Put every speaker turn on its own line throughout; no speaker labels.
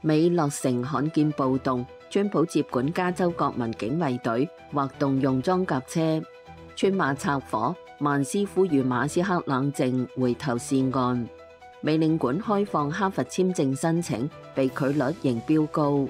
美落成罕見暴動，川普接管加州國民警衛隊，或動用裝甲車。川馬拆夥，曼斯呼籲馬斯克冷靜，回頭是岸。美領館開放哈佛簽證申請，被拒率仍飆高。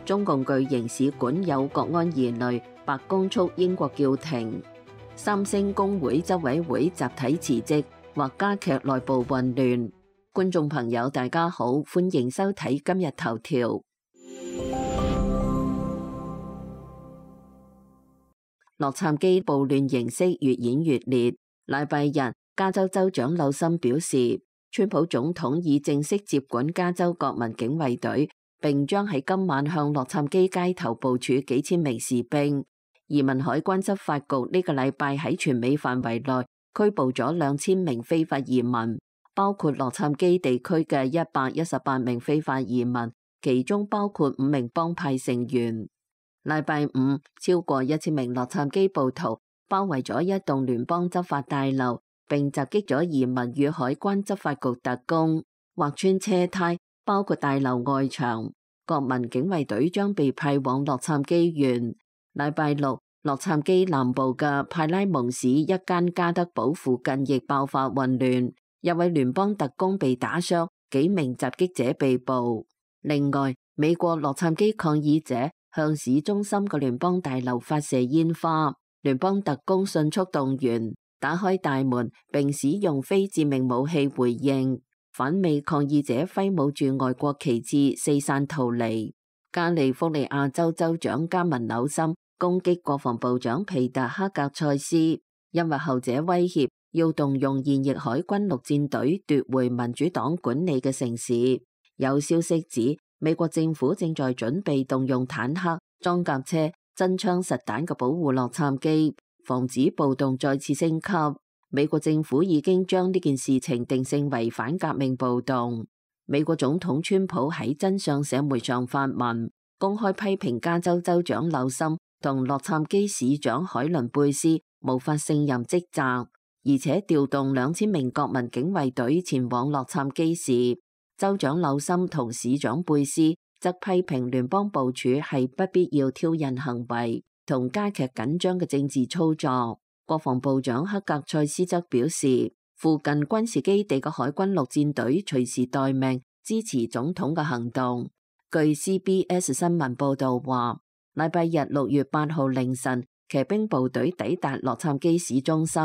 中共巨型使館有國安疑慮，白宮促英國叫停。三星工會執委會集體辭職，或加劇內部混亂。觀眾朋友大家好，歡迎收睇今日頭條。洛杉磯暴亂形式越演越烈。禮拜日，加州州長紐森表示，川普總統已正式接管加州國民警衛隊，並將喺今晚向洛杉磯街頭部署幾千名士兵。移民海關執法局呢個禮拜喺全美範圍內拘捕咗2000名非法移民，包括洛杉磯地區嘅118名非法移民，其中包括5名幫派成員。禮拜五，超過1000名洛杉磯暴徒包圍咗一棟聯邦執法大樓，並襲擊咗移民與海關執法局特工，劃穿車胎，包括大樓外牆。國民警衛隊將被派往洛杉磯縣。禮拜六，洛杉磯南部嘅派拉蒙市一間加德堡附近亦爆發混亂，一位聯邦特工被打傷，幾名襲擊者被捕。另外，美國洛杉磯抗議者向市中心嘅聯邦大樓發射煙花，聯邦特工迅速動員，打開大門，並使用非致命武器回應。反美抗議者揮舞住外國旗幟四散逃離。加利福尼亞州州長加文紐森攻擊國防部長皮特克格塞斯，因為後者威脅要動用現役海軍陸戰隊奪回民主黨管理嘅城市。有消息指，美國政府正在準備動用坦克、裝甲車、真槍實彈嘅保護洛杉磯，防止暴動再次升級。美國政府已經將呢件事情定性為反革命暴動。美國總統川普喺真相社媒上發文，公開批評加州州長紐森同洛杉磯市長海倫貝斯無法勝任職責，而且調動2000名國民警衛隊前往洛杉磯市。州長紐森同市長貝斯則批評聯邦部署係不必要挑釁行為同加劇緊張嘅政治操作。國防部長克格塞斯則表示，附近軍事基地嘅海軍陸戰隊隨時待命，支持總統嘅行動。據 CBS 新聞報道話，禮拜日6月8號凌晨，騎兵部隊抵達洛杉磯市中心，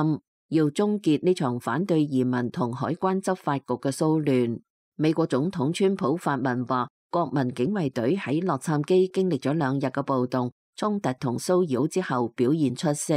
要終結呢場反對移民同海關執法局嘅騷亂。美國總統川普發文話，國民警衛隊喺洛杉磯經歷咗2日嘅暴動、衝突同騷擾之後表現出色。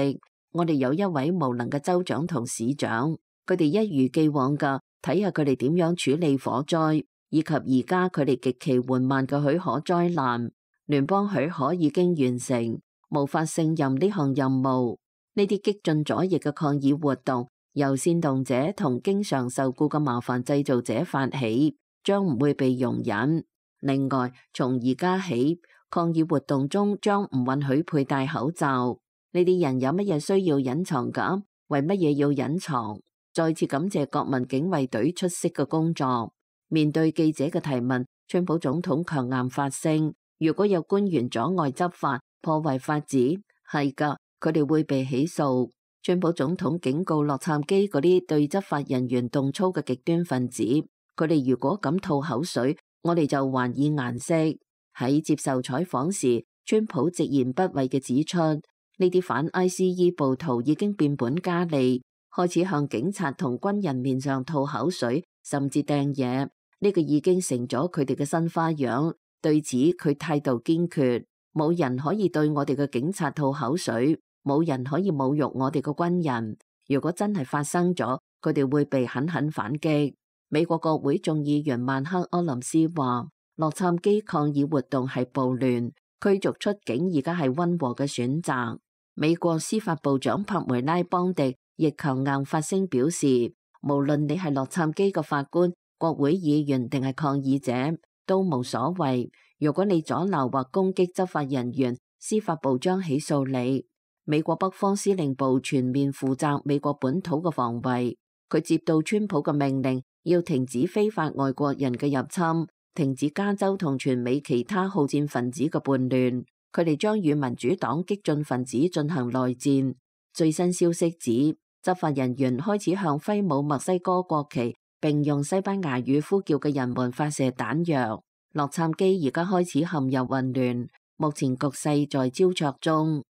我哋有一位無能嘅州長同市長，佢哋一如既往嘅睇下佢哋點樣處理火災，以及而家佢哋極其緩慢嘅許可災難。聯邦許可已經完成，無法勝任呢項任務。呢啲激進左翼嘅抗議活動由煽動者同經常受僱嘅麻煩製造者發起，將唔會被容忍。另外，從而家起，抗議活動中將唔允許佩戴口罩。呢啲人有乜嘢需要隱藏㗎？為乜嘢要隱藏？再次感謝國民警衛隊出色嘅工作。面對記者嘅提問，川普總統強硬發聲：如果有官員阻礙執法、破壞法治，係㗎，佢哋會被起訴。川普總統警告洛杉磯嗰啲對執法人員動粗嘅極端分子，佢哋如果敢吐口水，我哋就還以顏色。喺接受採訪時，川普直言不諱嘅指出，呢啲反 ICE 暴徒已經變本加厲，開始向警察同軍人面上吐口水，甚至掟嘢。呢個已經成咗佢哋嘅新花樣。對此，佢態度堅決，冇人可以對我哋嘅警察吐口水，冇人可以侮辱我哋嘅軍人。如果真係發生咗，佢哋會被狠狠反擊。美國國會眾議員曼克柯林斯話，洛杉磯抗議活動係暴亂，驅逐出境而家係溫和嘅選擇。美國司法部長帕梅拉邦迪亦強硬發聲表示，無論你係洛杉磯嘅法官、國會議員定係抗議者，都無所謂。如果你阻撓或攻擊執法人員，司法部將起訴你。美國北方司令部全面負責美國本土嘅防衛。佢接到川普嘅命令，要停止非法外國人嘅入侵，停止加州同全美其他好戰分子嘅叛亂，佢哋將與民主黨激進分子進行內戰。最新消息指，執法人員開始向揮舞墨西哥國旗並用西班牙語呼叫嘅人們發射彈藥。洛杉磯而家開始陷入混亂，目前局勢在焦灼中。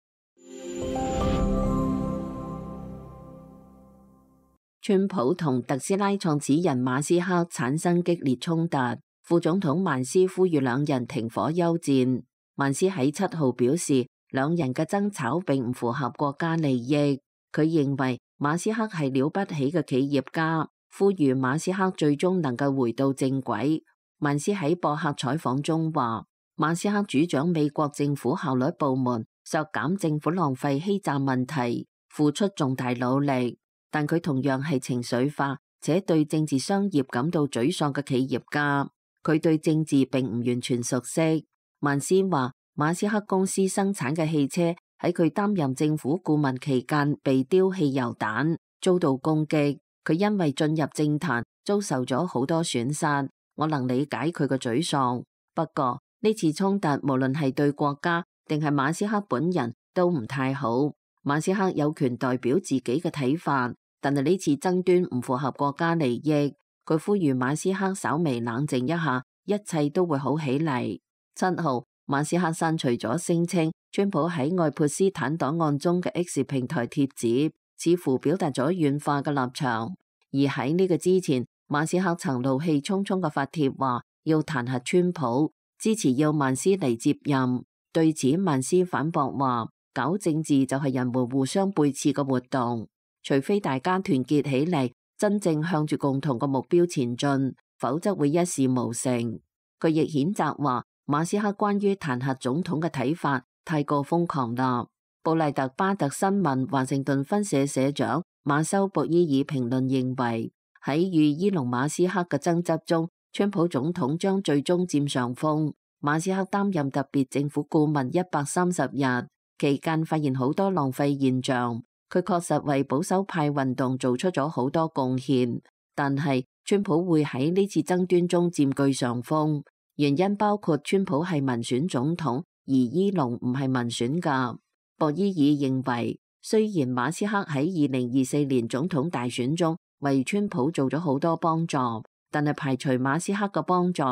川普同特斯拉創始人馬斯克產生激烈衝突，副總統曼斯呼籲兩人停火休戰。曼斯喺7號表示，兩人嘅爭吵並唔符合國家利益。佢認為馬斯克係了不起嘅企業家，呼籲馬斯克最終能夠回到正軌。曼斯喺博客採訪中話，馬斯克主掌美國政府效率部門，削減政府浪費欺詐問題，付出重大努力。但佢同樣係情緒化且對政治商業感到沮喪嘅企業家，佢對政治並唔完全熟悉。曼斯話，馬斯克公司生產嘅汽車喺佢擔任政府顧問期間被丟汽油彈，遭到攻擊。佢因為進入政壇遭受咗好多損失，我能理解佢嘅沮喪。不過呢次衝突無論係對國家定係馬斯克本人都唔太好。馬斯克有權代表自己嘅睇法，但係呢次爭端唔符合國家利益。佢呼籲馬斯克稍微冷靜一下，一切都會好起嚟。7號，馬斯克刪除咗聲稱川普喺愛潑斯坦檔案中嘅 X 平台貼紙，似乎表達咗軟化嘅立場。而喺呢個之前，馬斯克曾怒氣沖沖嘅發帖話要彈劾川普，支持要曼斯嚟接任。對此，曼斯反駁話，搞政治就係人們互相背刺嘅活動，除非大家團結起嚟，真正向住共同嘅目標前進，否則會一事無成。佢亦譴責話，馬斯克關於彈劾總統嘅睇法太過瘋狂啦。布賴特巴特新聞華盛頓分社社長馬修博伊爾評論認為，喺與伊隆馬斯克嘅爭執中，川普總統將最終佔上風。馬斯克擔任特別政府顧問130日期間，發現好多浪費現象。佢確實為保守派運動做出咗好多貢獻，但係川普會喺呢次爭端中佔據上風，原因包括川普係民選總統，而伊隆唔係民選㗎。博伊爾認為，雖然馬斯克喺2024年總統大選中為川普做咗好多幫助，但係排除馬斯克嘅幫助，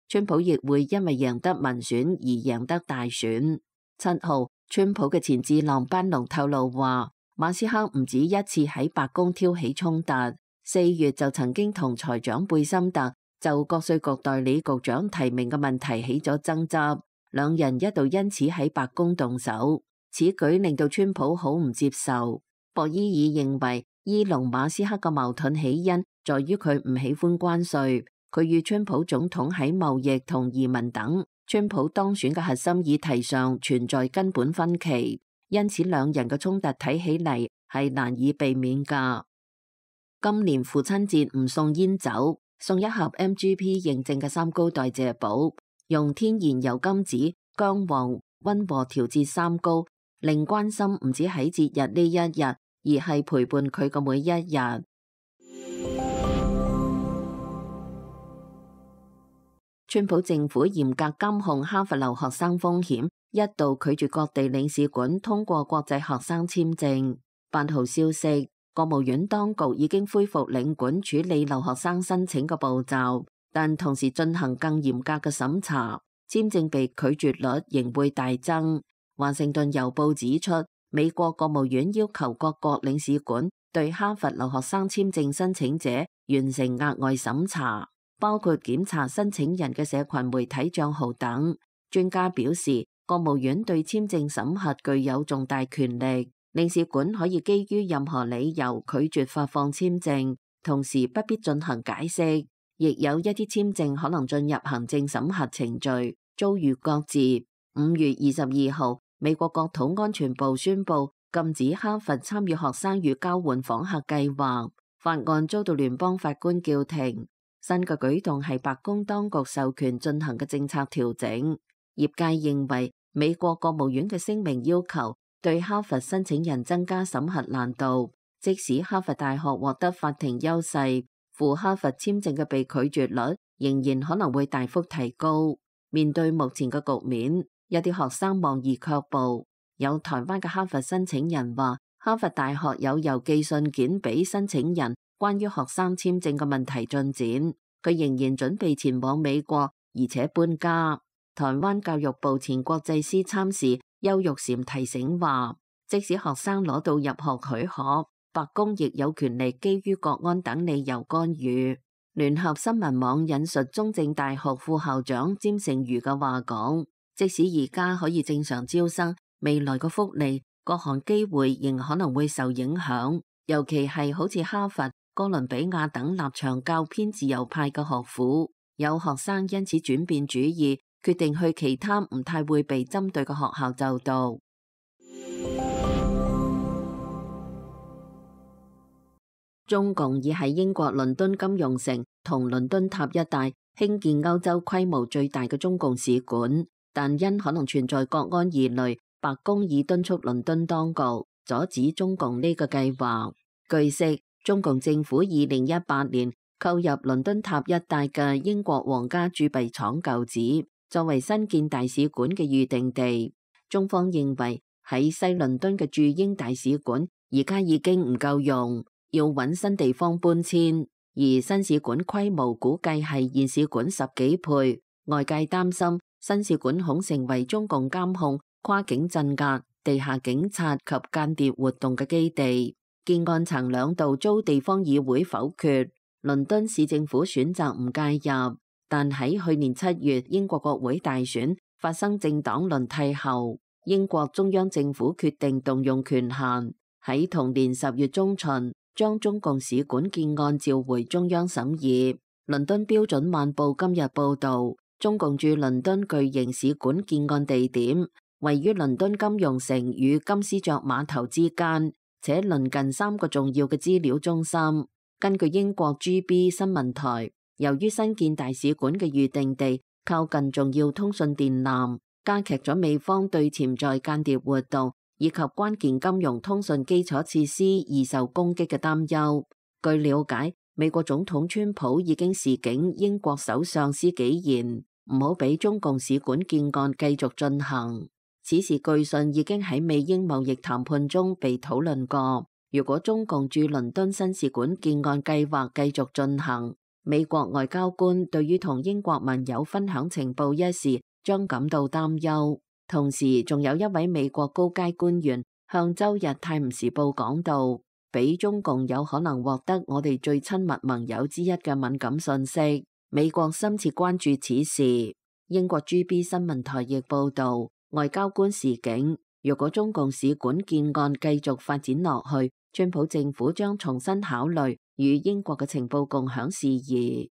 川普亦會因為贏得民選而贏得大選。7號，川普嘅前智囊班農透露話，馬斯克唔止一次喺白宮挑起衝突，4月就曾經同財長貝森特就國稅局代理局長提名嘅問題起咗爭執，兩人一度因此喺白宮動手。此舉令到川普好唔接受。博伊爾認為，伊隆馬斯克嘅矛盾起因在於佢唔喜歡關稅，佢與川普總統喺貿易同移民等川普當選嘅核心議題上存在根本分歧，因此兩人嘅衝突睇起嚟係難以避免㗎。今年父親節唔送煙酒，送一盒 MGP 認證嘅三高代謝寶，用天然油甘子、薑黃溫和調節三高，令關心唔止喺節日呢一日，而係陪伴佢嘅每一日。川普政府嚴格監控哈佛留學生風險，一度拒絕各地領事館通過國際學生簽證。8號消息，國務院當局已經恢復領館處理留學生申請嘅步驟，但同時進行更嚴格嘅審查，簽證被拒絕率仍會大增。華盛頓郵報指出，美國國務院要求各國領事館對哈佛留學生簽證申請者完成額外審查，包括檢查申請人嘅社群媒體賬號等。專家表示，國務院對簽證審核具有重大權力，領事館可以基於任何理由拒絕發放簽證，同時不必進行解釋。亦有一啲簽證可能進入行政審核程序，遭遇擱置。5月22號，美國國土安全部宣布禁止哈佛參與學生與交換訪客計劃，法案遭到聯邦法官叫停。新嘅舉動係白宮當局授權進行嘅政策調整。業界認為美國國務院嘅聲明要求對哈佛申請人增加審核難度，即使哈佛大學獲得法庭優勢，赴哈佛簽證嘅被拒絕率仍然可能會大幅提高。面對目前嘅局面，有啲學生望而卻步。有台灣嘅哈佛申請人話，哈佛大學有郵寄信件俾申請人，關於學生簽證嘅問題進展。佢仍然準備前往美國，而且搬家。台灣教育部前國際司參事邱玉嬋提醒話，即使學生攞到入學許可，白宮亦有權利基於國安等理由干預。聯合新聞網引述中正大學副校長詹成瑜嘅話講，即使而家可以正常招生，未來嘅福利各項機會仍可能會受影響，尤其係好似哈佛、哥倫比亞等立場較偏自由派嘅學府，有學生因此轉變主意，決定去其他唔太會被針對嘅學校就讀。中共已喺英國倫敦金融城同倫敦塔一帶興建歐洲規模最大嘅中共使館，但因可能存在國安疑慮，白宮已敦促倫敦當局阻止中共呢個計劃。據悉，中共政府2018年購入倫敦塔一帶嘅英國皇家鑄幣廠舊址，作為新建大使館嘅預定地。中方認為喺西倫敦嘅駐英大使館而家已經唔夠用，要揾新地方搬遷，而新使館規模估計係現使館10幾倍。外界擔心新使館恐成為中共監控、跨境鎮壓、地下警察及間諜活動嘅基地。建案曾2度遭地方議會否決，倫敦市政府選擇唔介入。但喺去年7月英國國會大選發生政黨輪替後，英國中央政府決定動用權限，喺同年10月中旬將中共使館建案召回中央審議。倫敦標準晚報今日報道，中共駐倫敦巨型使館建案地點位於倫敦金融城與金絲雀碼頭之間，且鄰近3個重要嘅資料中心。根據英國 GB 新聞台，由於新建大使館嘅預定地靠近重要通訊電纜，加劇咗美方對潛在間諜活動以及關鍵金融通訊基礎設施易受攻擊嘅擔憂。據了解，美國總統川普已經示警英國首相施紀賢唔好俾中共使館建案繼續進行。此時據信已經喺美英貿易談判中被討論過。如果中共駐倫敦新使館建案計劃繼續進行，美國外交官對於同英國盟友分享情報一事將感到擔憂。同時，仲有一位美國高階官員向周日泰晤士報講到，俾中共有可能獲得我哋最親密盟友之一嘅敏感信息，美國深切關注此事。英國 GB 新聞台亦報道，外交官示警，如果中共使館建案繼續發展落去，川普政府將重新考慮與英國嘅情報共享事宜。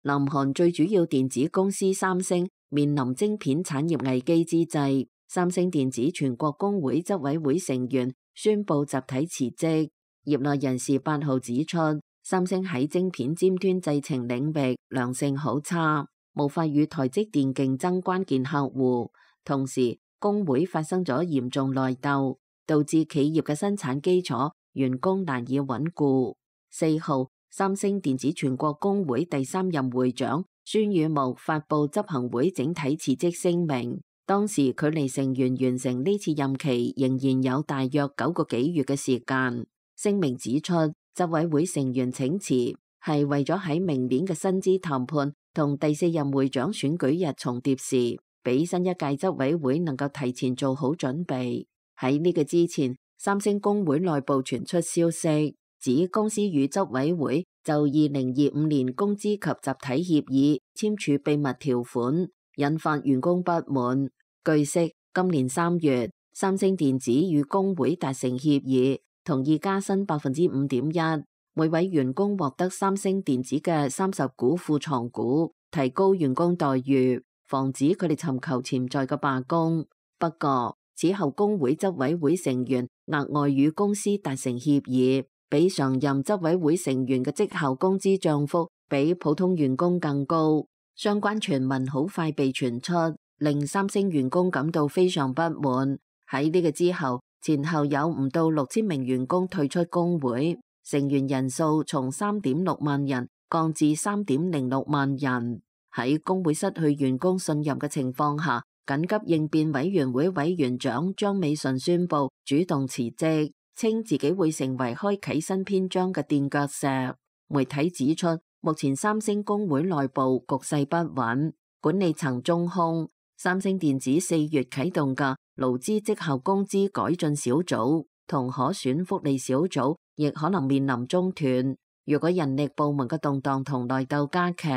南韓最主要電子公司三星面臨晶片產業危機之際，三星電子全國工會執委會成員宣布集體辭職。業內人士8號指出，三星喺晶片尖端製程領域良性好差，無法與台積電競爭關鍵客戶。同時，工會發生咗嚴重內鬥，導致企業嘅生產基礎、員工難以穩固。4號，三星電子全國工會第3任會長孫宇木發布執行會整體辭職聲明。當時距離成員完成呢次任期仍然有大約9個幾月嘅時間。聲明指出，執委會成員請辭係為咗喺明年嘅薪資談判同第4任會長選舉日重疊時，俾新一屆執委會能夠提前做好準備。喺呢個之前，三星工會內部傳出消息，指公司與執委會就2025年工資及集體協議簽署秘密條款，引發員工不滿。據悉，今年3月，三星電子與工會達成協議，同意加薪5.1%，每位員工獲得三星電子嘅30股庫藏股，提高員工待遇，防止佢哋尋求潛在嘅罷工。不過，此後工會執委會成員額外與公司達成協議，比常任執委會成員嘅績效工資漲幅比普通員工更高。相關傳聞好快被傳出，令三星員工感到非常不滿。喺呢個之後，前後有唔到6000名員工退出工會。成員人數從3.6萬人降至3.06萬人。喺工會失去員工信任嘅情況下，緊急應變委員會委員長張美順宣布主動辭職，稱自己會成為開啟新篇章嘅墊腳石。媒體指出，目前三星工會內部局勢不穩，管理層中空。三星電子4月啟動嘅勞資績效工資改進小組同可選福利小組亦可能面臨中斷。如果人力部門嘅動盪同內鬥加劇，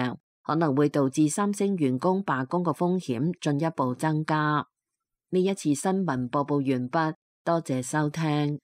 可能會導致三星員工罷工嘅風險進一步增加。呢一次新聞播報完畢，多謝收聽。